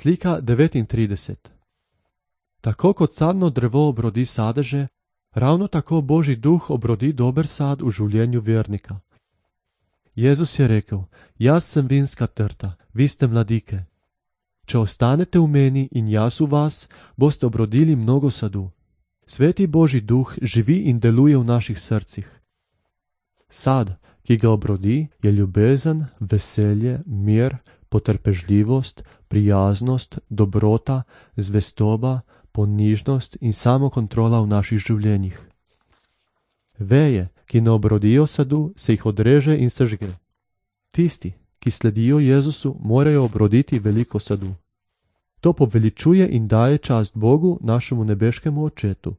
Slika 39. Tako kot sadno drevo obrodi sadeže, ravno tako Božji duh obrodi dober sad v življenju vernika. Jezus je rekel: Jaz sem vinska trta, vi ste mladike. Če ostanete v meni in jaz v vas, boste obrodili mnogo sadu. Sveti Božji duh živi in deluje v naših srcih. Sad, ki ga obrodi, je ljubezen, veselje, mir, potrpežljivost, prijaznost, dobrota, zvestoba, ponižnost in samokontrola v naših življenjih. Veje, ki ne obrodijo sadu, se jih odreže in sežge. Tisti, ki sledijo Jezusu, morajo obroditi veliko sadu. To poveličuje in daje čast Bogu, našemu nebeškemu Očetu.